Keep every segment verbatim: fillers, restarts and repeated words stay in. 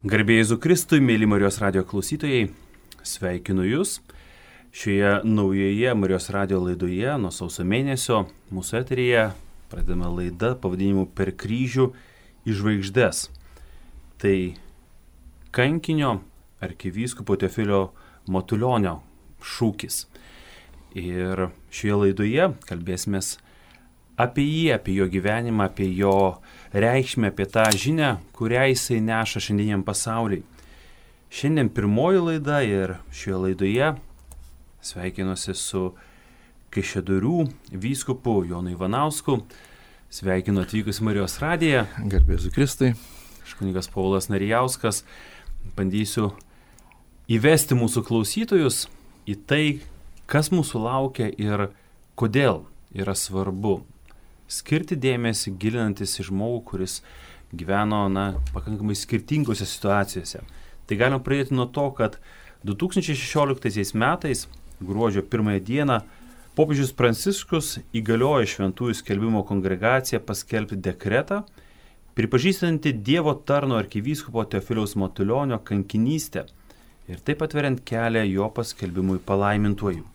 Garbė Jėzui Kristui, mėly Marijos radijo klausytojai, sveikinu Jūs. Šioje naujoje Marijos radijo laidoje nuo sausio mėnesio mūsų eteryje pradedame laidą pavadinimu Per kryžių į žvaigždes. Tai kankinio arkivyskupo Teofilio Matulionio šūkis. Ir šioje laidoje kalbėsimės apie jį, apie jo gyvenimą, apie jo reikšmę, apie tą žinią, kurią jisai neša šiandieniam pasauliui. Šiandien pirmoji laida ir šioje laidoje sveikinuosi su Kaišiadorių vyskupu Jonu Ivanausku. Sveikinu atvykus į Marijos radiją. Garbė Jėzui Kristui. Aš kunigas Paulius Narijauskas. Bandysiu įvesti mūsų klausytojus į tai, kas mūsų laukia ir kodėl yra svarbu skirti dėmesį, gilinantis į žmogų, kuris gyveno na, pakankamai skirtingose situacijose. Tai galim pradėti nuo to, kad du tūkstančiai šešioliktaisiais metais, gruodžio pirmąją dieną, popiežius Pranciškus įgaliojo Šventųjų skelbimo kongregaciją paskelbti dekretą, pripažįstantį Dievo tarno arkivyskupo Teofiliaus Matulionio kankinystę ir taip atveriant kelią jo paskelbimui palaimintuoju.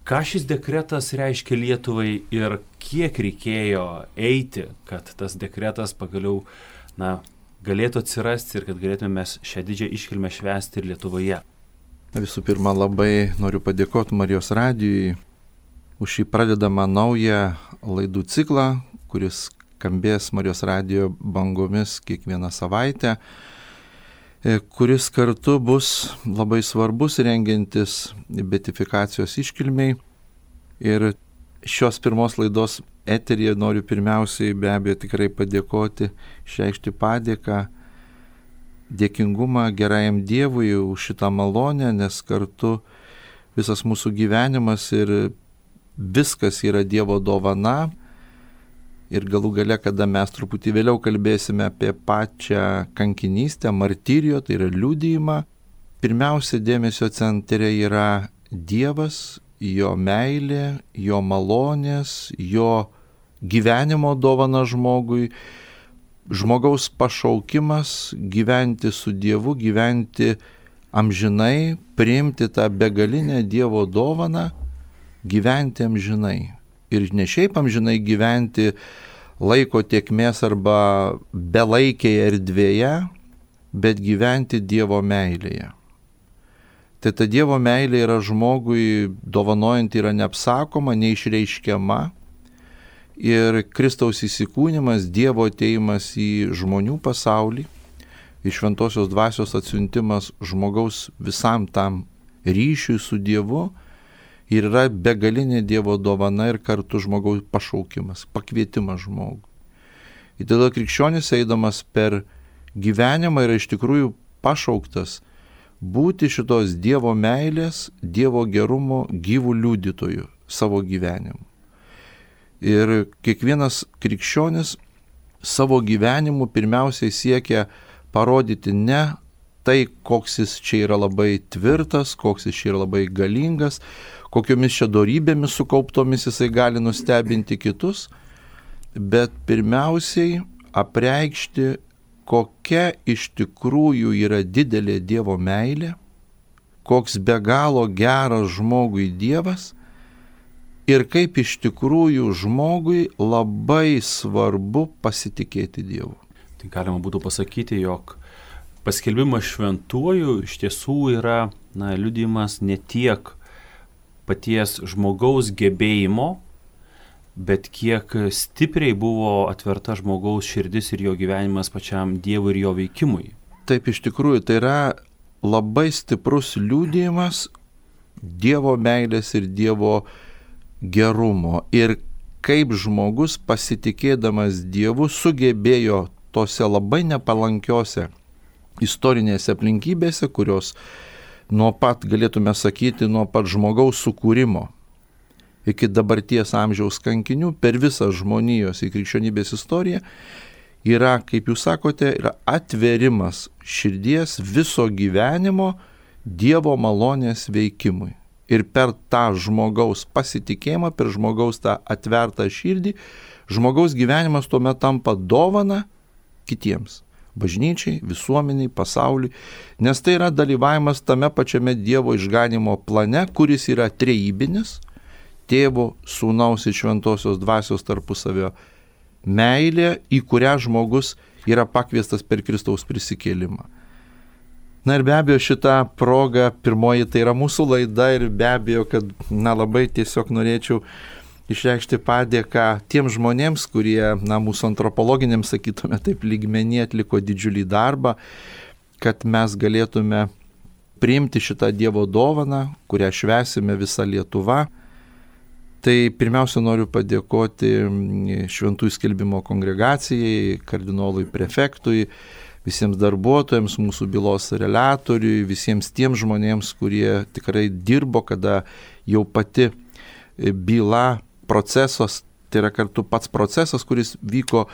Ką šis dekretas reiškia Lietuvai ir kiek reikėjo eiti, kad tas dekretas pagaliau na, galėtų atsirasti ir kad galėtume mes šią didžią iškilmę švęsti ir Lietuvoje? Visų pirma, labai noriu padėkoti Marijos radijui už šį pradedamą naują laidų ciklą, kuris skambės Marijos radijo bangomis kiekvieną savaitę, kuris kartu bus labai svarbus rengiantis beatifikacijos iškilmiai. Ir šios pirmos laidos eteryje noriu pirmiausiai be abejo tikrai padėkoti, išreikšti padėką, dėkingumą gerajam Dievui už šitą malonę, nes kartu visas mūsų gyvenimas ir viskas yra Dievo dovana. Ir galų gale, kada mes truputį vėliau kalbėsime apie pačią kankinystę, martyrijo, tai yra liudijimą, pirmiausia dėmesio centre yra Dievas, jo meilė, jo malonės, jo gyvenimo dovana žmogui, žmogaus pašaukimas gyventi su Dievu, gyventi amžinai, priimti tą begalinę Dievo dovaną, gyventi amžinai. Ir ne šiaip amžinai gyventi laiko tėkmės arba belaikėje erdvėje, bet gyventi Dievo meilėje. Tai ta Dievo meilė yra žmogui dovanojant yra neapsakoma, neišreiškiama. Ir Kristaus įsikūnimas, Dievo atėjimas į žmonių pasaulį, į šventosios dvasios atsiuntimas žmogaus visam tam ryšiui su Dievu, ir yra begalinė Dievo dovana ir kartu žmogaus pašaukimas, pakvietimas žmogui. Ir tada krikščionis eidamas per gyvenimą yra iš tikrųjų pašauktas būti šitos Dievo meilės, Dievo gerumo gyvų liudytojų savo gyvenimu. Ir kiekvienas krikščionis savo gyvenimu pirmiausiai siekia parodyti ne tai, koks jis čia yra labai tvirtas, koks jis čia yra labai galingas, kokiomis čia dorybėmis sukauptomis jisai gali nustebinti kitus, bet pirmiausiai apreikšti, kokia iš tikrųjų yra didelė Dievo meilė, koks be galo geras žmogui Dievas ir kaip iš tikrųjų žmogui labai svarbu pasitikėti Dievu. Tai galima būtų pasakyti, jog paskelbimas šventuoju iš tiesų yra na, liudijimas ne tiek paties žmogaus gebėjimo, bet kiek stipriai buvo atverta žmogaus širdis ir jo gyvenimas pačiam Dievui ir jo veikimui. Taip, iš tikrųjų, tai yra labai stiprus liudijimas Dievo meilės ir Dievo gerumo. Ir kaip žmogus pasitikėdamas Dievu sugebėjo tose labai nepalankiose istorinėse aplinkybėse, kurios nuo pat, galėtume sakyti, nuo pat žmogaus sukūrimo iki dabarties amžiaus kankinių per visą žmonijos į krikščionybės istoriją yra, kaip jūs sakote, yra atverimas širdies viso gyvenimo Dievo malonės veikimui. Ir per tą žmogaus pasitikėjimą, per žmogaus tą atvertą širdį, žmogaus gyvenimas tuomet tampa dovana kitiems. bažnyčiai, visuomeniai, pasauliui, nes tai yra dalyvavimas tame pačiame Dievo išganimo plane, kuris yra trejybinis, Tėvo, Sūnaus ir Šventosios Dvasios tarpusavio meilė, į kurią žmogus yra pakviestas per Kristaus prisikėlimą. Na ir be abejo šitą progą, pirmoji tai yra mūsų laida ir be abejo, kad na, labai tiesiog norėčiau išreikšti padėką tiem žmonėms, kurie, na, mūsų antropologiniams, sakytume taip, lygmenį atliko didžiulį darbą, kad mes galėtume priimti šitą Dievo dovaną, kurią švęsime visa Lietuva. Tai pirmiausia noriu padėkoti Šventųjų skelbimo kongregacijai, kardinolui prefektui, visiems darbuotojams, mūsų bylos reliatoriui, visiems tiem žmonėms, kurie tikrai dirbo, kada jau pati byla, procesas, tai yra kartu pats procesas, kuris vyko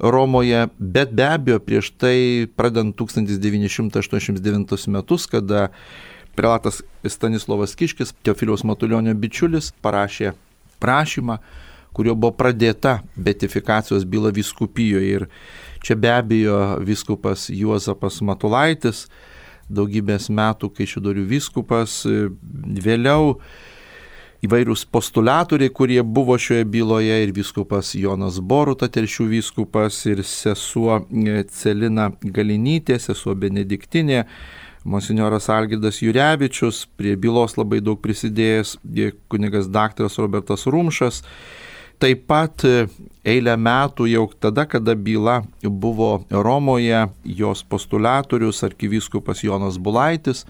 Romoje, bet be abejo prieš tai, pradant tūkstantis devyni šimtai aštuoniasdešimt devintus metus, kada prelatas Stanislovas Kiškis, Teofiliaus Matulionio bičiulis, parašė prašymą, kurio buvo pradėta beatifikacijos byla vyskupijoje. Ir čia be abejo vyskupas Juozapas Matulaitis, daugybės metų Kaišiadorių vyskupas, vėliau įvairūs postulatoriai, kurie buvo šioje byloje, ir vyskupas Jonas Boruta, Telšių vyskupas, ir sesuo Celina Galinytė, sesuo Benediktinė, monsinjoras Algirdas Jurevičius, prie bylos labai daug prisidėjęs kunigas daktaras Robertas Rumšas. Taip pat eilę metų jau tada, kada byla buvo Romoje, jos postulatorius arkivyskupas Jonas Bulaitis,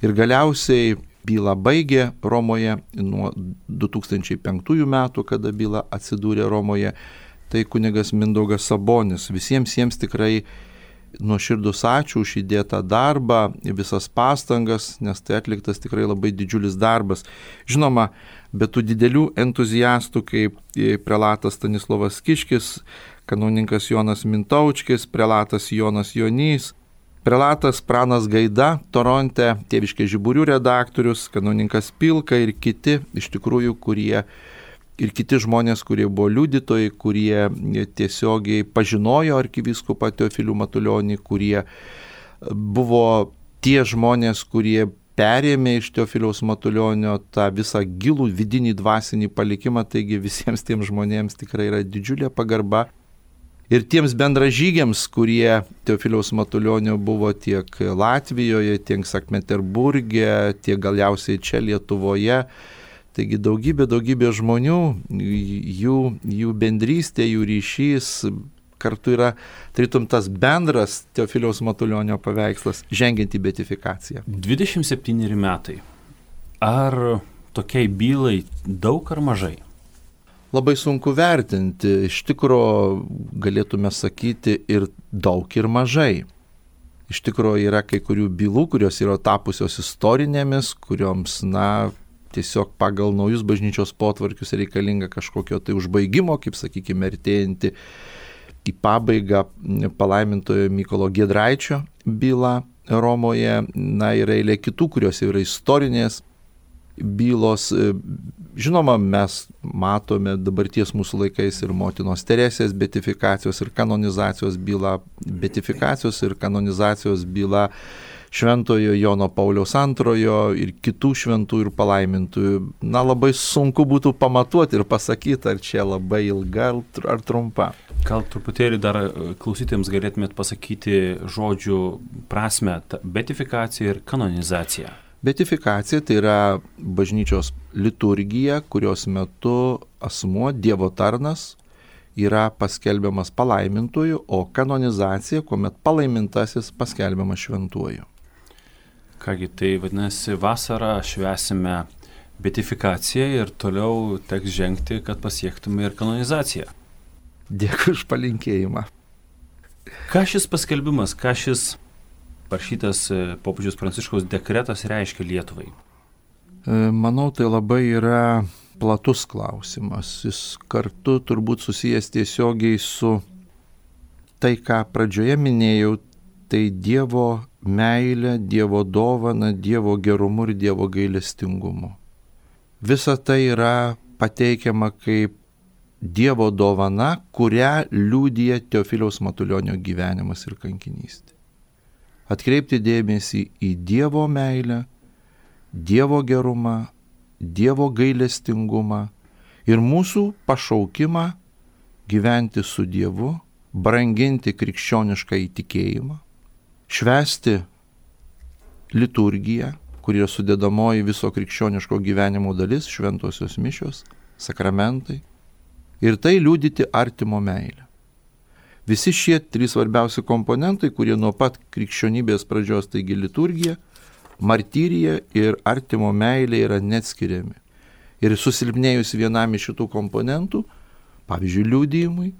ir galiausiai bylą baigė Romoje nuo du tūkstančiai penktųjų metų, kada byla atsidūrė Romoje, tai kunigas Mindaugas Sabonis. Visiems jiems tikrai nuoširdus ačiū už įdėtą darbą, visas pastangas, nes tai atliktas tikrai labai didžiulis darbas. Žinoma, be tų didelių entuziastų kaip prelatas Stanislovas Kiškis, kanauninkas Jonas Mintaučkis, prelatas Jonas Jonys, prelatas Pranas Gaida, Toronte, Tėviškės žiburių redaktorius, kanauninkas Pilka ir kiti, iš tikrųjų, kurie, ir kiti žmonės, kurie buvo liudytojai, kurie tiesiogiai pažinojo arkivyskupą Teofilių Matulionį, kurie buvo tie žmonės, kurie perėmė iš Teofiliaus Matulionio tą visą gilų vidinį dvasinį palikimą, taigi visiems tiems žmonėms tikrai yra didžiulė pagarba. Ir tiems bendražygiams, kurie Teofiliaus Matulionio buvo tiek Latvijoje, tiek Sankt-Peterburge, tiek galiausiai čia Lietuvoje. Taigi daugybė, daugybė žmonių, jų, jų bendrystė, jų ryšys kartu yra, tarytum, tas bendras Teofiliaus Matulionio paveikslas, žengiant į beatifikaciją. dvidešimt septyneri metai. Ar tokiai bylai daug ar mažai? Labai sunku vertinti, iš tikro galėtume sakyti ir daug ir mažai. Iš tikro yra kai kurių bylų, kurios yra tapusios istorinėmis, kurioms, na, tiesiog pagal naujus bažnyčios potvarkius reikalinga kažkokio tai užbaigimo, kaip sakykime, artėjanti į pabaigą palaimintojo Mykolo Giedraičio byla Romoje, na ir eilė kitų, kurios yra istorinės bylos. Žinoma, mes matome dabarties mūsų laikais ir motinos Teresės beatifikacijos ir kanonizacijos byla, beatifikacijos ir kanonizacijos byla Šventojo Jono Pauliaus antrojo ir kitų šventų ir palaimintųjų. Na, labai sunku būtų pamatuoti ir pasakyti, ar čia labai ilga ar trumpa. Gal truputėlį dar klausytėms galėtumėt pasakyti žodžių prasme, beatifikacija ir kanonizacija. Beatifikacija tai yra bažnyčios liturgija, kurios metu asmuo, Dievo tarnas, yra paskelbiamas palaimintuoju, o kanonizacija, kuomet palaimintasis paskelbiamas šventuoju. Kągi, tai vadinasi, vasarą švęsime beatifikaciją ir toliau teks žengti, kad pasiektume ir kanonizaciją. Dėkui už palinkėjimą. Ką šis paskelbimas, ką šis parašytas popiežiaus Pranciškaus dekretas reiškia Lietuvai? Manau, tai labai yra platus klausimas. Jis kartu turbūt susijęs tiesiogiai su tai, ką pradžioje minėjau, tai Dievo meilė, Dievo dovana, Dievo gerumu ir Dievo gailestingumu. Visa tai yra pateikiama kaip Dievo dovana, kurią liudija Teofiliaus Matulionio gyvenimas ir kankinystė. Atkreipti dėmesį į Dievo meilę, Dievo gerumą, Dievo gailestingumą ir mūsų pašaukimą gyventi su Dievu, branginti krikščionišką įtikėjimą, švęsti liturgiją, kuri yra sudedamoji viso krikščioniško gyvenimo dalis, šventosios mišios, sakramentai, ir tai liudyti artimo meilę. Visi šie trys svarbiausi komponentai, kurie nuo pat krikščionybės pradžios, taigi liturgija, martyrija ir artimo meilė, yra neatskiriami. Ir susilpnėjus vienam iš šitų komponentų, pavyzdžiui, liudijimui,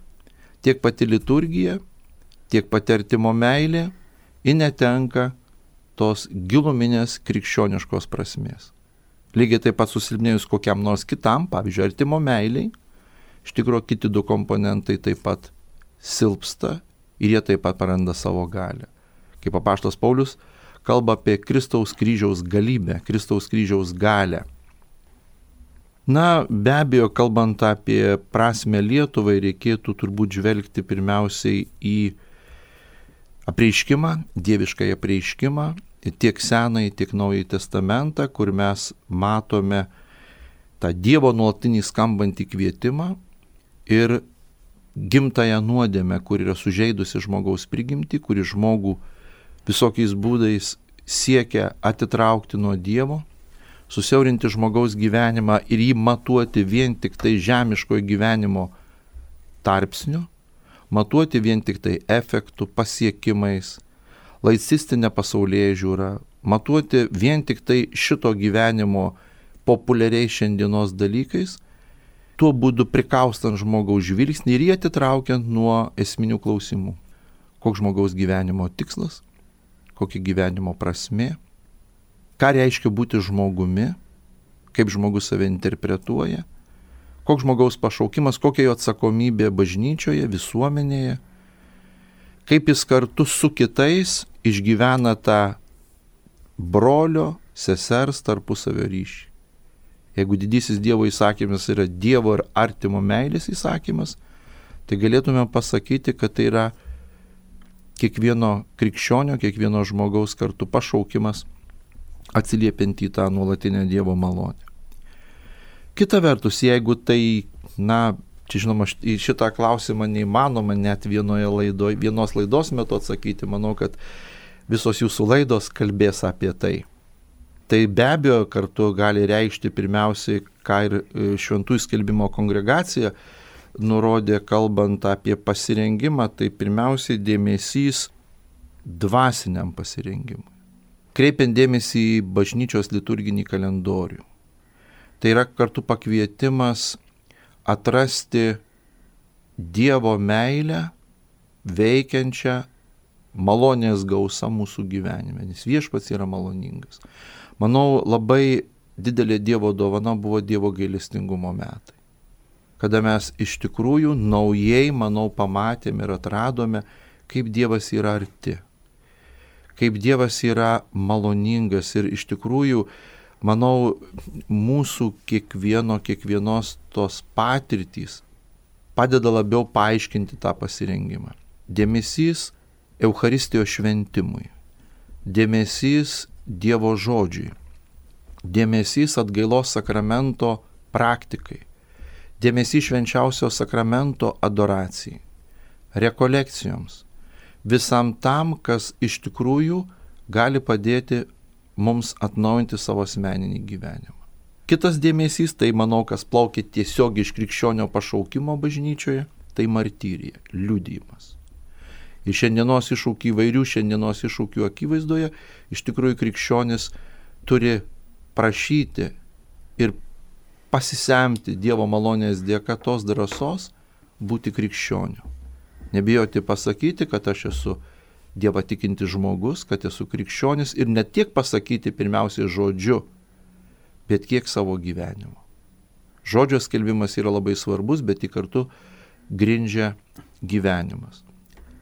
tiek pati liturgija, tiek pati artimo meilė, ji netenka tos giluminės krikščioniškos prasmės. Lygiai taip pat susilpnėjus kokiam nors kitam, pavyzdžiui, artimo meiliai, iš tikrųjų kiti du komponentai taip pat silpsta ir jie taip pat praranda savo galią. Kaip apaštalas Paulius kalba apie Kristaus kryžiaus galybę, Kristaus kryžiaus galią. Na, be abejo, kalbant apie prasmę Lietuvai, reikėtų turbūt žvelgti pirmiausiai į apreiškimą, dieviškąjį apreiškimą, tiek Senąjį, tiek Naująjį testamentą, kur mes matome tą Dievo nuolatinį skambantį kvietimą ir gimtąją nuodėmę, kur yra sužeidusi žmogaus prigimtį, kuri žmogų visokiais būdais siekia atitraukti nuo Dievo, susiaurinti žmogaus gyvenimą ir jį matuoti vien tik tai žemiškojo gyvenimo tarpsniu, matuoti vien tik tai efektų, pasiekimais, laicistinę pasaulėžiūrą, matuoti vien tik tai šito gyvenimo populiariai šiandienos dalykais, tuo būdu prikaustant žmogaus žvilgsnį ir jį atitraukiant nuo esminių klausimų. Koks žmogaus gyvenimo tikslas, kokia gyvenimo prasmė, ką reiškia būti žmogumi, kaip žmogus save interpretuoja, koks žmogaus pašaukimas, kokia jo atsakomybė bažnyčioje, visuomenėje, kaip jis kartu su kitais išgyvena tą brolio, sesers tarpusavio ryšį. Jeigu didysis Dievo įsakymas yra Dievo ir artimo meilės įsakymas, tai galėtume pasakyti, kad tai yra kiekvieno krikščionio, kiekvieno žmogaus kartu pašaukimas atsiliepiant į tą nuolatinę Dievo malonę. Kita vertus, jeigu tai, na, čia žinoma, į šitą klausimą neįmanoma net vienoje laidoje, vienos laidos metu atsakyti, manau, kad visos jūsų laidos kalbės apie tai. Tai be abejo kartu gali reikšti pirmiausiai, ką ir Šventųjų skelbimo kongregacija nurodė, kalbant apie pasirengimą, tai pirmiausiai dėmesys dvasiniam pasirengimui. Kreipiant dėmesį į bažnyčios liturginį kalendorių. Tai yra kartu pakvietimas atrasti Dievo meilę veikiančią malonės gausą mūsų gyvenime, nes viešpats yra maloningas. Manau, labai didelė Dievo dovana buvo Dievo gailestingumo metai, kada mes iš tikrųjų naujai, manau, pamatėme ir atradome, kaip Dievas yra arti, kaip Dievas yra maloningas ir iš tikrųjų, manau, mūsų kiekvieno, kiekvienos tos patirtys padeda labiau paaiškinti tą pasirengimą. Dėmesys Eucharistijos šventimui, dėmesys Dievo žodžiui, dėmesys atgailos sakramento praktikai, dėmesys švenčiausio sakramento adoracijai, rekolekcijoms, visam tam, kas iš tikrųjų gali padėti mums atnaujinti savo asmeninį gyvenimą. Kitas dėmesys, tai manau, kas plaukia tiesiog iš krikščionio pašaukimo bažnyčioje, tai martyrija, liudijimas. Ir šiandienos iššūkių, įvairių šiandienos iššūkių akivaizdoje, iš tikrųjų krikščionis turi prašyti ir pasisemti Dievo malonės dėka tos drąsos būti krikščioniu. Nebijoti pasakyti, kad aš esu Dievą tikintis žmogus, kad esu krikščionis ir ne tiek pasakyti pirmiausiai žodžiu, bet kiek savo gyvenimu. Žodžio skelbimas yra labai svarbus, bet jį kartu grindžia gyvenimas.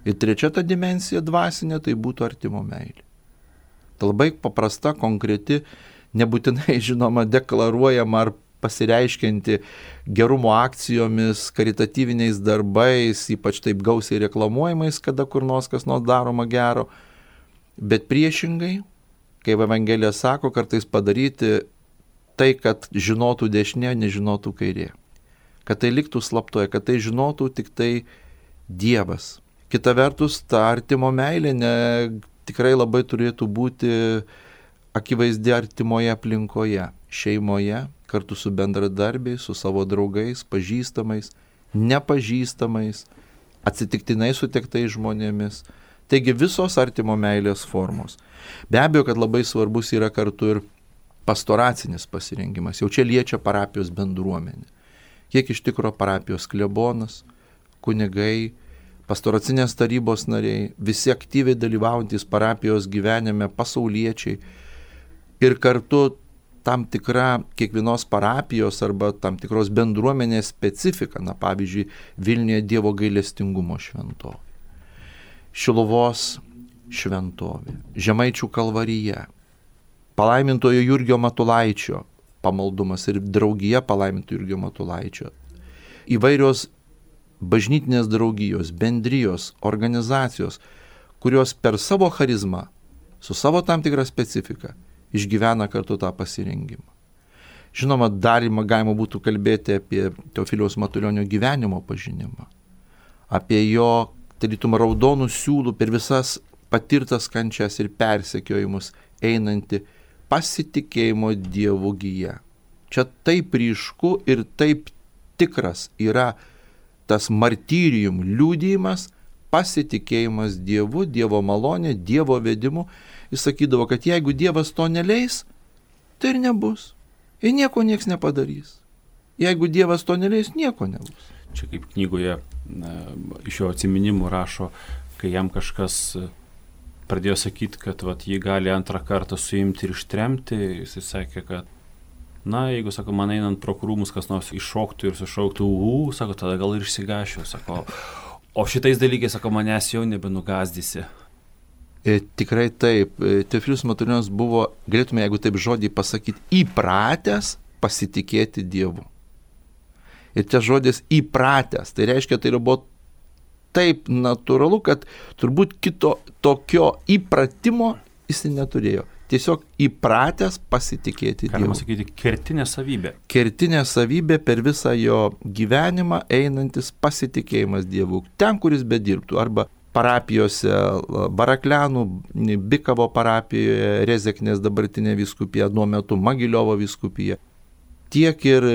Ir trečia ta dimensija dvasinė, tai būtų artimo meilė. Tai labai paprasta, konkreti, nebūtinai žinoma deklaruojama ar pasireiškianti gerumo akcijomis, karitatyviniais darbais, ypač taip gausiai reklamuojamais, kada kur nors kas nors daroma gero. Bet priešingai, kaip Evangelija sako, kartais padaryti tai, kad žinotų dešinė, nežinotų kairė. Kad tai liktų slaptoje, kad tai žinotų tik tai Dievas. Kita vertus, ta artimo meilė ne, tikrai labai turėtų būti akivaizdi artimoje aplinkoje, šeimoje, kartu su bendradarbiais, su savo draugais, pažįstamais, nepažįstamais, atsitiktinai sutiktais žmonėmis. Taigi visos artimo meilės formos. Be abejo, kad labai svarbus yra kartu ir pastoracinis pasirengimas. Jau čia liečia parapijos bendruomenė. Kiek iš tikro parapijos klebonas, kunigai, pastoracinės tarybos nariai, visi aktyviai dalyvaujantys parapijos gyvenime, pasauliečiai ir kartu tam tikra kiekvienos parapijos arba tam tikros bendruomenės specifika, na pavyzdžiui, Vilniuje Dievo gailestingumo šventovė, Šiluvos šventovė, Žemaičių kalvarija, palaimintojo Jurgio Matulaičio pamaldumas ir draugija palaimintojo Jurgio Matulaičio, įvairios bažnytinės draugijos, bendrijos, organizacijos, kurios per savo charizmą, su savo tam tikrą specifiką, išgyvena kartu tą pasirengimą. Žinoma, dar galima būtų kalbėti apie Teofiliaus Matulionio gyvenimo pažinimą, apie jo, tarytum, raudonų siūlų per visas patirtas kančias ir persekiojimus einanti pasitikėjimo Dievu gija. Čia taip ryšku ir taip tikras yra tas martyrium liudijimas, pasitikėjimas Dievu, Dievo malonė, Dievo vedimu. Jis sakydavo, kad jeigu Dievas to neleis, tai ir nebus. Ir nieko nieks nepadarys. Jeigu Dievas to neleis, nieko nebus. Čia kaip knygoje na, iš jo atsiminimų rašo, kai jam kažkas pradėjo sakyti, kad vat, jį gali antrą kartą suimti ir ištremti, jis sakė, kad na, jeigu, sako, man einant pro krūmus kas nors iššoktų ir sušauktų, u, sako, tada gal ir išsigašiu, sako, o šitais dalykais, sako, manęs jau nebenugazdysi. E, tikrai taip, Teofilius Matulionis buvo, galėtume, jeigu taip žodį pasakyti, įpratęs pasitikėti Dievu. Ir čia žodis įpratęs, tai reiškia, tai buvo taip natūralu, kad turbūt kito tokio įpratimo jis neturėjo. Tiesiog įpratęs pasitikėti Dievu. Galima sakyti, kertinė savybė. Kertinė savybė per visą jo gyvenimą einantis pasitikėjimas Dievu. Ten, kuris bedirbtų, arba parapijose, Baraklianų, Bikavo parapijoje, Rezeknės dabartinė vyskupija, nuo metu Magiliovo vyskupija, tiek ir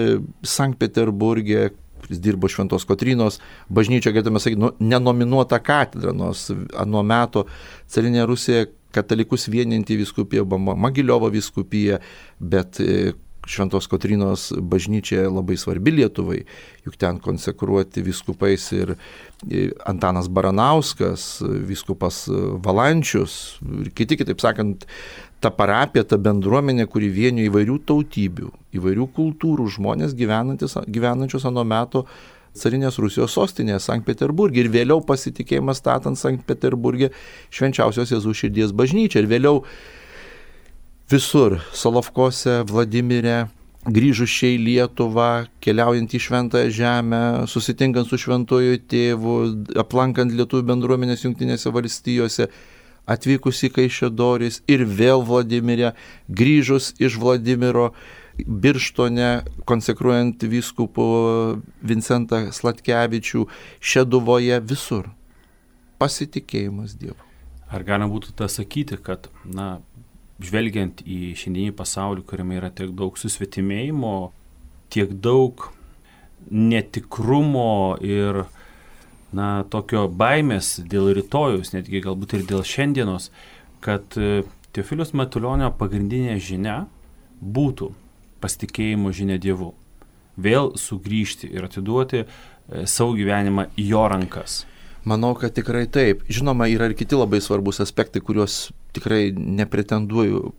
Sankt Peterburge, kuris dirbo Šventos Kotrynos bažnyčia, galėtume sakyti, nu, nenominuota katedra, nors anuo metu carinė Rusija katalikus vieninti vyskupija, Magiliovo vyskupija, bet Šventos Kotrynos bažnyčia labai svarbi Lietuvai, juk ten konsekruoti vyskupais ir Antanas Baranauskas, vyskupas Valančius ir kiti, kitaip sakant, ta parapija, ta bendruomenė, kuri vienijo įvairių tautybių, įvairių kultūrų žmonės gyvenančius anuo metu carinės Rusijos sostinėje Sankt Peterburge ir vėliau pasitikėjimas statant Sankt Peterburge Švenčiausios Jėzaus širdies bažnyčią ir vėliau visur, Solovkose, Vladimire, grįžus čia į Lietuvą, keliaujant į Šventąją Žemę, susitinkant su Šventuoju Tėvu, aplankant lietuvių bendruomenės Jungtinėse valstijose, atvykus į Kaišiadoris ir vėl Vladimire, grįžus iš Vladimiro, Birštone, konsekruojant vyskupų Vincentą Sladkevičių, Šeduvoje, visur. Pasitikėjimas Dievu. Ar galima būtų tą sakyti, kad, na, žvelgiant į šiandienį pasaulį, kuriame yra tiek daug susvetimėjimo, tiek daug netikrumo ir, na, tokio baimės dėl rytojus, netgi galbūt ir dėl šiandienos, kad Teofiliaus Matulionio pagrindinė žinia būtų pasitikėjimo žinia Dievu. Vėl sugrįžti ir atiduoti savo gyvenimą į jo rankas. Manau, kad tikrai taip. Žinoma, yra ir kiti labai svarbus aspektai, kuriuos tikrai nepretenduoju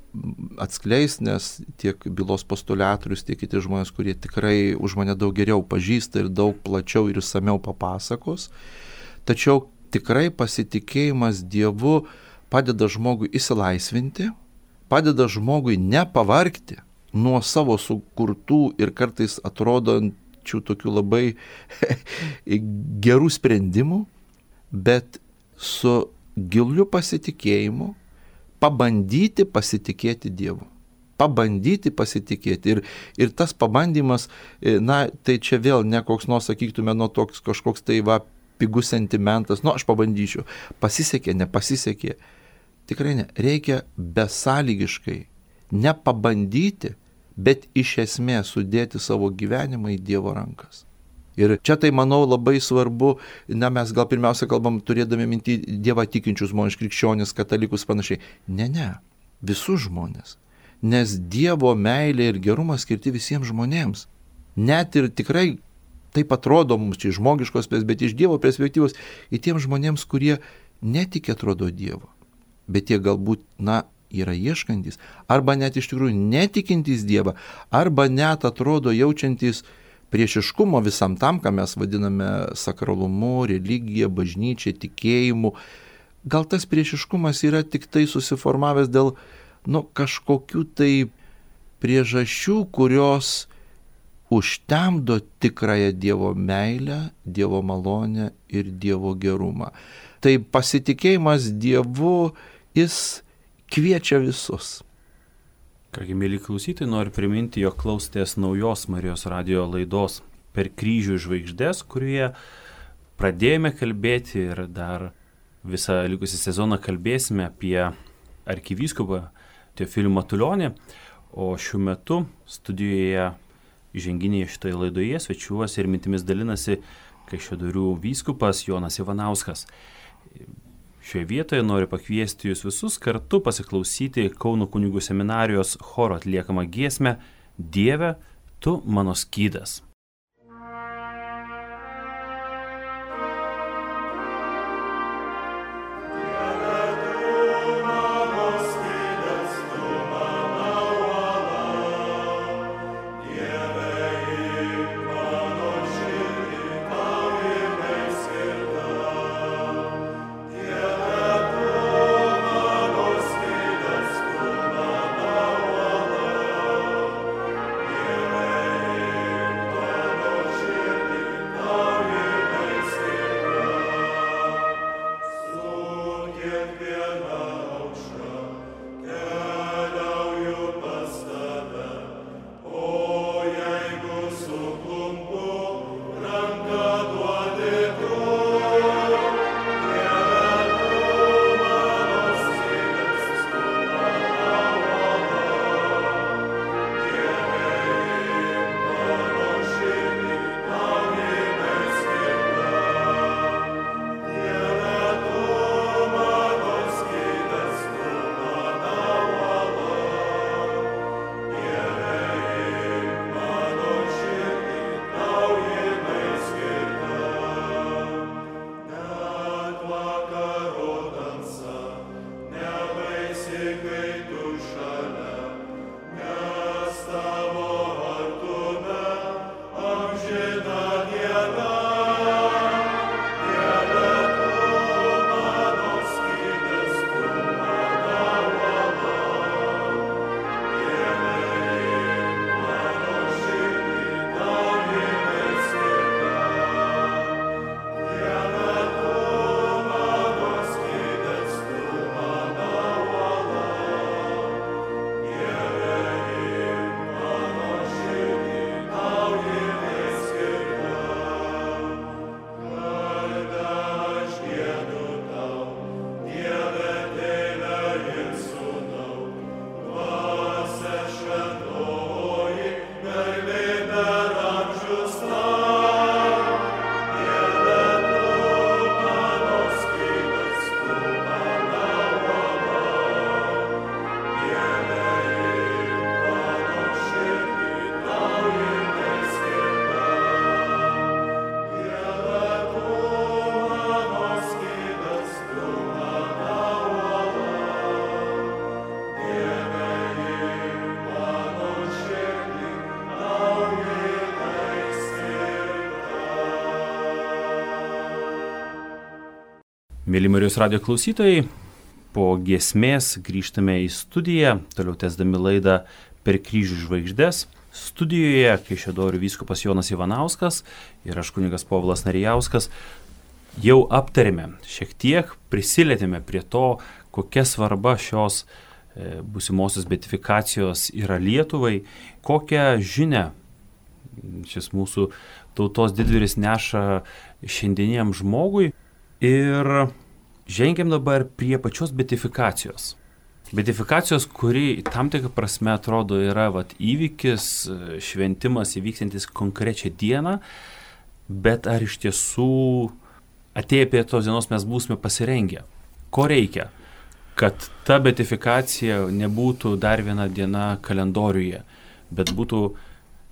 atskleis, nes tiek bylos postulatorius, tiek kiti žmonės, kurie tikrai už mane daug geriau pažįsta ir daug plačiau ir išsamiau papasakos. Tačiau tikrai pasitikėjimas Dievu padeda žmogui išsilaisvinti, padeda žmogui nepavargti, nuo savo sukurtų ir kartais atrodančių tokių labai gerų sprendimų, bet su giliu pasitikėjimu pabandyti pasitikėti Dievu. Pabandyti pasitikėti. Ir, ir tas pabandymas, na, tai čia vėl ne koks nors, sakytume, nu, toks kažkoks tai va, pigus sentimentas, nu, aš pabandyčiau. Pasisekė, nepasisekė. Tikrai ne. Reikia besąlygiškai nepabandyti, bet iš esmės sudėti savo gyvenimą į Dievo rankas. Ir čia tai, manau, labai svarbu, na, mes gal pirmiausia kalbam, turėdami minti Dievą tikinčius žmonės, krikščionis, katalikus panašiai. Ne, ne, visus žmonės. Nes Dievo meilė ir gerumas skirti visiems žmonėms. Net ir tikrai taip atrodo mums čia žmogiškos, bet iš Dievo perspektyvos į tiems žmonėms, kurie netikė atrodo Dievo, bet jie galbūt, na, yra ieškantis, arba net iš tikrųjų netikintys Dievą, arba net atrodo jaučiantys priešiškumo visam tam, ką mes vadiname sakralumu, religija, bažnyčia, tikėjimu. Gal tas priešiškumas yra tik tai susiformavęs dėl, nu, kažkokių tai priežasčių, kurios užtemdo tikrąją Dievo meilę, Dievo malonę ir Dievo gerumą. Tai pasitikėjimas Dievu, jis kviečia visus. Kągi, mėly klausytojai, noriu priminti, jog klausėtės naujos Marijos radijo laidos Per kryžių žvaigždės, kurioje pradėjome kalbėti ir dar visą likusį sezoną kalbėsime apie arkivyskupą Teofilių Matulionį, o šiuo metu studijoje įženginėje šitoje laidoje svečiuosi ir mintimis dalinasi Kaišiadorių vyskupas Jonas Ivanauskas. Šioje vietoje noriu pakviesti jūs visus kartu pasiklausyti Kauno kunigų seminarijos choro atliekamą giesmę Dieve, tu mano skydas. Mėly Marijos radijo klausytojai, po giesmės grįžtame į studiją, toliau tęsdami laidą per kryžių žvaigždės. Studijoje Kaišiadorių vyskupas Jonas Ivanauskas ir aš kunigas Povilas Narijauskas jau aptarėme, šiek tiek prisilietėme prie to, kokia svarba šios e, būsimosios beatifikacijos yra Lietuvai, kokią žinią šis mūsų tautos didvyris neša šiandieniam žmogui. Ir žengiam dabar prie pačios beatifikacijos. Beatifikacijos, kuri tam tikrą prasme atrodo yra vat, įvykis, šventimas įvykstantis konkrečią dieną, bet ar iš tiesų atėję prie tos dienos mes būsime pasirengę? Ko reikia, kad ta beatifikacija nebūtų dar viena diena kalendoriuje, bet būtų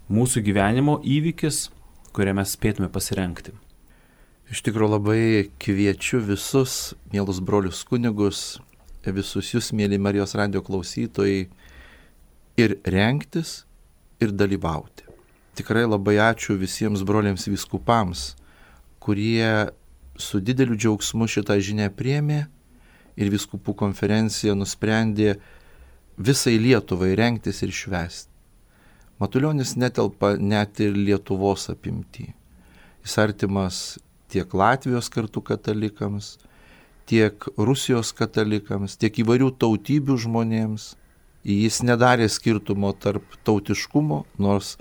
mūsų gyvenimo įvykis, kurią mes spėtume pasirengti? Iš tikrųjų labai kviečiu visus, mielus brolius kunigus, visus jūs, mėly Marijos radijo klausytojai, ir rengtis, ir dalyvauti. Tikrai labai ačiū visiems broliams vyskupams, kurie su dideliu džiaugsmu šitą žinią priėmė ir vyskupų konferencija nusprendė visai Lietuvai rengtis ir švęsti. Matulionis netelpa net ir Lietuvos apimtį. Jis artimas tiek Latvijos kartu katalikams, tiek Rusijos katalikams, tiek įvairių tautybių žmonėms. Jis nedarė skirtumo tarp tautiškumo, nors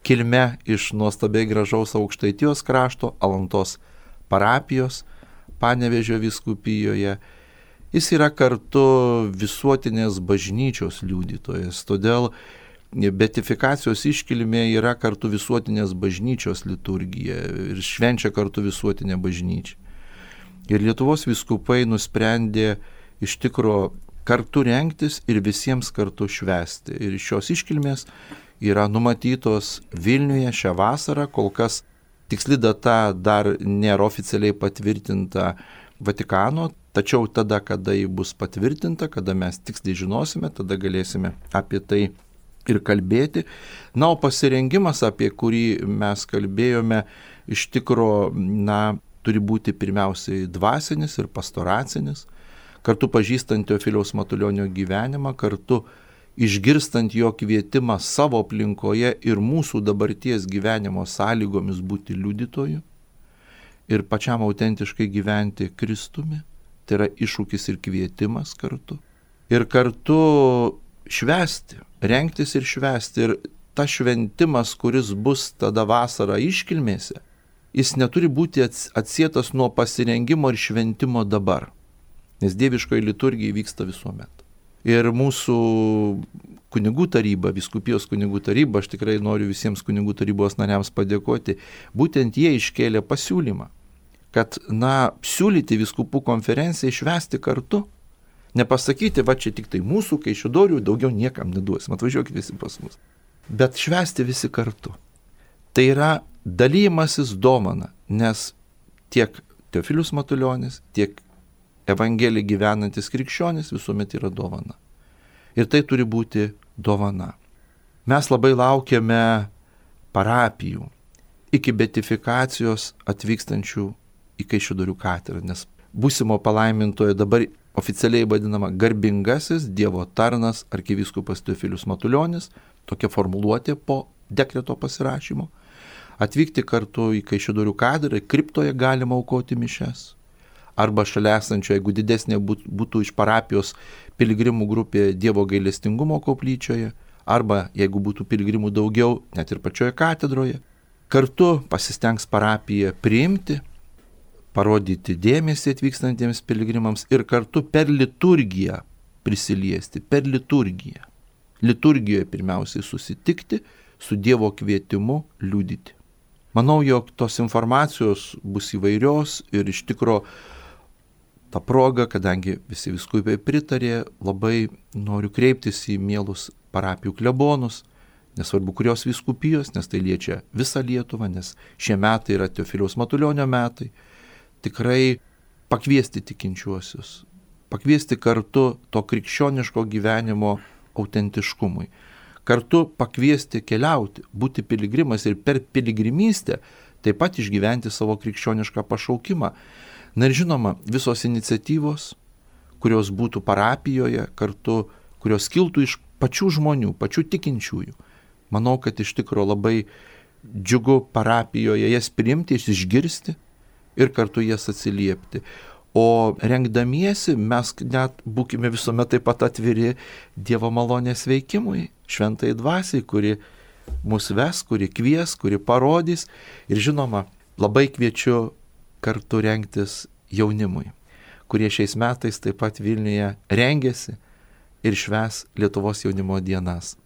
kilme iš nuostabiai gražaus Aukštaitijos krašto, Alantos parapijos, Panevėžio vyskupijoje. Jis yra kartu visuotinės bažnyčios liudytojas, todėl beatifikacijos iškilmė yra kartu visuotinės bažnyčios liturgija ir švenčia kartu visuotinė bažnyčia. Ir Lietuvos vyskupai nusprendė iš tikro kartu rengtis ir visiems kartu švęsti. Ir šios iškilmės yra numatytos Vilniuje šią vasarą, kol kas tiksli data dar nėra oficialiai patvirtinta Vatikano, tačiau tada, kada ji bus patvirtinta, kada mes tiksliai žinosime, tada galėsime apie tai ir kalbėti. Na, o pasirengimas, apie kurį mes kalbėjome, iš tikro, na, turi būti pirmiausiai dvasinis ir pastoracinis, kartu pažįstant Teofiliaus Matulionio gyvenimą, kartu išgirstant jo kvietimą savo aplinkoje ir mūsų dabarties gyvenimo sąlygomis būti liudytoju ir pačiam autentiškai gyventi Kristumi, tai yra iššūkis ir kvietimas kartu. Ir kartu švęsti, rengtis ir švęsti. Ir tas šventimas, kuris bus tada vasarą iškilmėse, jis neturi būti atsietas nuo pasirengimo ir šventimo dabar, nes dieviškoji liturgija vyksta visuomet. Ir mūsų kunigų taryba, vyskupijos kunigų taryba, aš tikrai noriu visiems kunigų tarybos nariams padėkoti, būtent jie iškėlė pasiūlymą, kad, na, siūlyti vyskupų konferencijai švęsti kartu, nepasakyti, va čia tik tai mūsų Kaišiadorių, daugiau niekam neduosim, atvažiuokit visi pas mus, bet švęsti visi kartu. Tai yra dalymasis dovana, nes tiek Teofilius Matulionis, tiek Evangeliją gyvenantis krikščionis visuomet yra dovana. Ir tai turi būti dovana. Mes labai laukiame parapijų iki beatifikacijos atvykstančių į Kaišiadorių katedrą, nes būsimo palaimintojo dabar oficialiai vadinama garbingasis Dievo tarnas arkivyskupas Teofilius Matulionis, tokia formuluotė po dekreto pasirašymo, atvykti kartu į Kaišiadorių katedrą, kriptoje galima aukoti mišias. Arba šalia esančio, jeigu didesnė būtų iš parapijos piligrimų grupė Dievo gailestingumo koplyčioje, arba jeigu būtų piligrimų daugiau, net ir pačioje katedroje. Kartu pasistengs parapija priimti, parodyti dėmesį atvykstantiems piligrimams ir kartu per liturgiją prisiliesti, per liturgiją. Liturgijoje pirmiausiai susitikti, su Dievo kvietimu liudyti. Manau, jog tos informacijos bus įvairios ir iš tikro tą progą, kadangi visi vyskupai pritarė, labai noriu kreiptis į mielus parapijų klebonus, nesvarbu kurios vyskupijos, nes tai liečia visą Lietuvą, nes šie metai yra Teofiliaus Matulionio metai, tikrai pakviesti tikinčiuosius, pakviesti kartu to krikščioniško gyvenimo autentiškumui, kartu pakviesti keliauti, būti piligrimas ir per piligrimystę taip pat išgyventi savo krikščionišką pašaukimą. Na ir žinoma, visos iniciatyvos, kurios būtų parapijoje, kartu, kurios kiltų iš pačių žmonių, pačių tikinčiųjų. Manau, kad iš tikrųjų labai džiugu parapijoje jas priimti, išgirsti ir kartu jas atsiliepti. O rengdamiesi mes net būkime visuomet taip pat atviri Dievo malonės veikimui, šventai dvasiai, kuri mus ves, kuri kvies, kuri parodys. Ir žinoma, labai kviečiu kartu rengtis jaunimui, kurie šiais metais taip pat Vilniuje rengėsi ir švęs Lietuvos jaunimo dienas.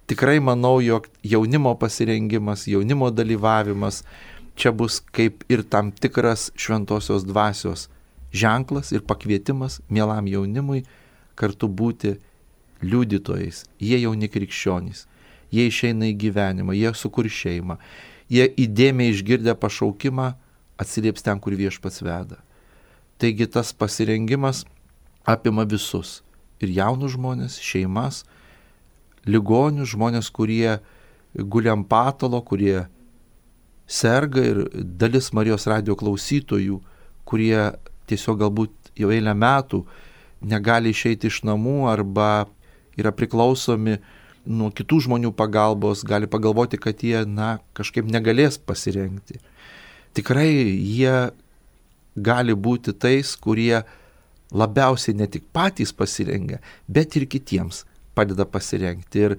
Tikrai manau, jog jaunimo pasirengimas, jaunimo dalyvavimas čia bus kaip ir tam tikras šventosios dvasios ženklas ir pakvietimas mielam jaunimui kartu būti liudytojais. Jie jauni krikščionys, jie išeina į gyvenimą, jie sukurs šeimą, jie įdėmiai išgirdę pašaukimą atsilieps ten, kur Viešpats veda. Taigi tas pasirengimas apima visus - ir jaunus žmonės, šeimas, ligonius, žmonės, kurie guli ant patalo, kurie serga, ir dalis Marijos radijo klausytojų, kurie tiesiog galbūt jau eilę metų negali išeiti iš namų arba yra priklausomi nuo kitų žmonių pagalbos, gali pagalvoti, kad jie, na, kažkaip negalės pasirengti. Tikrai jie gali būti tais, kurie labiausiai ne tik patys pasirengia, bet ir kitiems padeda pasirengti. Ir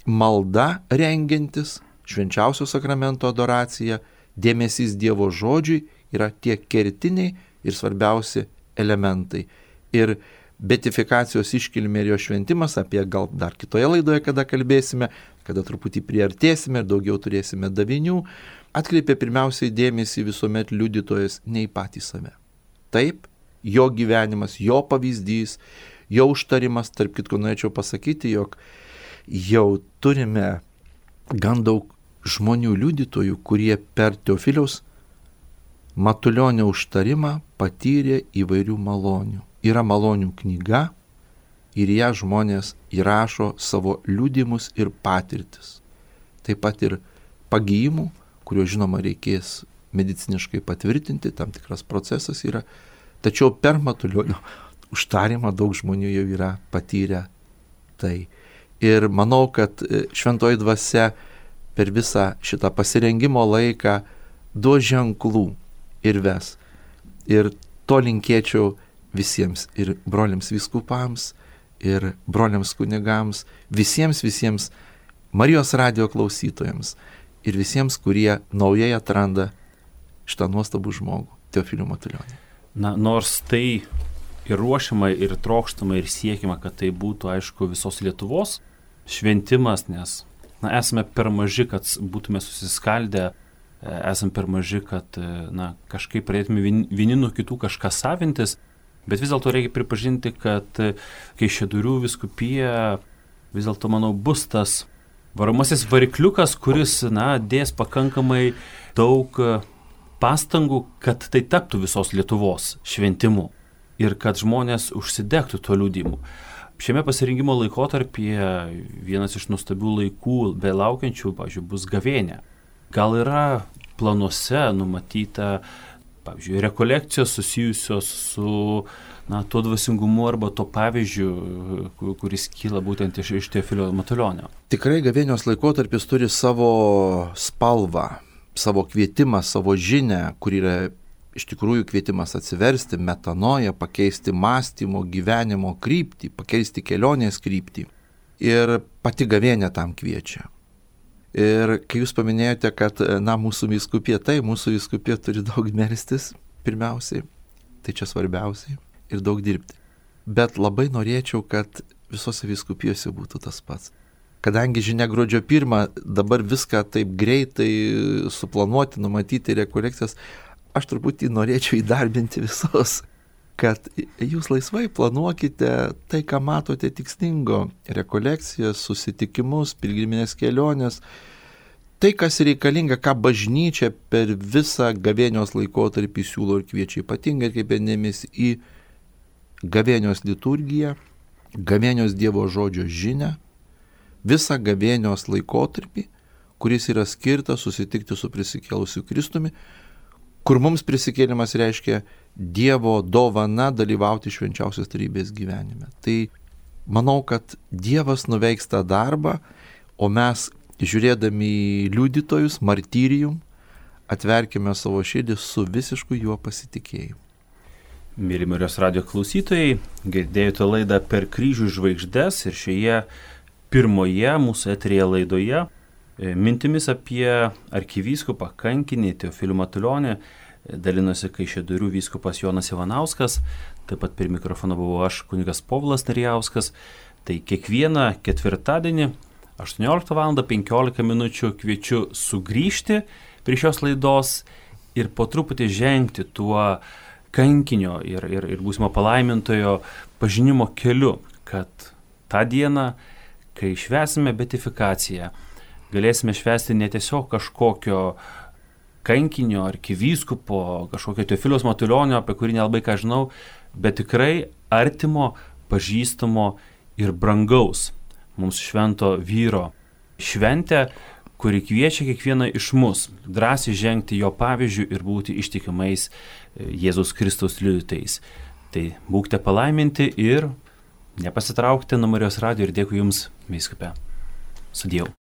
malda rengiantis, švenčiausio sakramento adoracija, dėmesys Dievo žodžiui yra tie kertiniai ir svarbiausi elementai. Ir beatifikacijos iškilmė ir jo šventimas, apie gal dar kitoje laidoje, kada kalbėsime, kada truputį priartėsime ir daugiau turėsime davinių, atkreipia pirmiausiai dėmesį visuomet liudytojas ne į patį save. Taip, jo gyvenimas, jo pavyzdys, jo užtarimas, tarp kitko norėčiau pasakyti, jog jau turime gan daug žmonių liudytojų, kurie per Teofiliaus Matulionio užtarimą patyrė įvairių malonių. Yra malonių knyga ir ją žmonės įrašo savo liudimus ir patirtis. Taip pat ir pagijimų, kurio žinoma reikės mediciniškai patvirtinti, tam tikras procesas yra. Tačiau per Matulionio užtarimą daug žmonių jau yra patyrę tai. Ir manau, kad šventoji dvasia per visą šitą pasirengimo laiką duos ženklų ir ves. Ir to linkėčiau visiems, ir broliams vyskupams, ir broliams kunigams, visiems, visiems Marijos radijo klausytojams ir visiems, kurie naujai atranda šitą nuostabų žmogų, Teofilių Matulionį. Na, nors tai ir ruošiama, ir trokštama, ir siekima, kad tai būtų, aišku, visos Lietuvos šventimas, nes na, esame per maži, kad būtume susiskaldę, esame per maži, kad na, kažkaip pradėtume vieni nuo kitų kažką savintis, bet vis dėlto reikia pripažinti, kad Kaišiadorių vyskupija vis dėlto, manau, bus tas varomasis varikliukas, kuris na, dės pakankamai daug pastangų, kad tai taptų visos Lietuvos šventimu ir kad žmonės užsidegtų to liudimu. Šiame pasirinkimo laikotarpyje vienas iš nuostabių laikų belaukiančių, pavyzdžiui, bus gavėnia. Gal yra planuose numatyta, pavyzdžiui, rekolekcijos susijusios su na, tuo dvasingumu arba to pavyzdžiu, kuris kyla būtent iš, iš Teofilio Matulionio? Tikrai gavėnios laikotarpis turi savo spalvą, savo kvietimą, savo žinią, kur yra iš tikrųjų kvietimas atsiversti, metanoją, pakeisti mąstymo, gyvenimo kryptį, pakeisti kelionės kryptį. Ir pati gavėnia tam kviečia. Ir kai jūs paminėjote, kad na, mūsų vyskupija, tai mūsų vyskupija turi daug melstis pirmiausiai, tai čia svarbiausiai, ir daug dirbti. Bet labai norėčiau, kad visose vyskupijose būtų tas pats. Kadangi žinia gruodžio pirmą, dabar viską taip greitai suplanuoti, numatyti rekolekcijas, aš truputį norėčiau įdarbinti visos, kad jūs laisvai planuokite tai, ką matote tikslingo, rekolekcijas, susitikimus, pilgriminės kelionės, tai, kas reikalinga, ką bažnyčia per visą gavėnios laikotarpį siūlo ir kviečia, ypatingai kaip dėmesį į gavėnios liturgiją, gavėnios Dievo žodžio žinią, visą gavėnios laikotarpį, kuris yra skirtas susitikti su prisikėlusiu Kristumi, kur mums prisikėlimas reiškia Dievo dovana dalyvauti švenčiausios trejybės gyvenime. Tai manau, kad Dievas nuveiks tą darbą, o mes, žiūrėdami į liudytojus, martyrijum, atverkime savo širdį su visišku juo pasitikėjimu. Mėly Marijos radijo klausytojai, girdėjote laidą Per kryžių žvaigždes ir šioje pirmoje mūsų eteryje laidoje mintimis apie arkivyskupą kankinį Teofilių Matulionį dalinosi Kaišiadorių vyskupas Jonas Ivanauskas, taip pat prie mikrofono buvau aš, kunigas Povilas Narijauskas. Tai kiekvieną ketvirtadienį aštuonioliktą valandą penkiolika minučių kviečiu sugrįžti prie šios laidos ir po truputį žengti tuo kankinio ir, ir, ir būsimo palaimintojo pažinimo keliu, kad tą dieną, kai švęsime beatifikaciją, galėsime švęsti ne tiesiog kažkokio kankinio, arkivyskupo, kažkokio Teofiliaus Matulionio, apie kurį nelabai ką žinau, bet tikrai artimo, pažįstamo ir brangaus mums švento vyro šventę, kuri kviečia kiekvieną iš mus drąsiai žengti jo pavyzdžių ir būti ištikimais Jėzaus Kristaus liudytojais. Tai būkite palaiminti ir nepasitraukite nuo Marijos radijo ir dėkui Jums, vyskupe. Sudiev.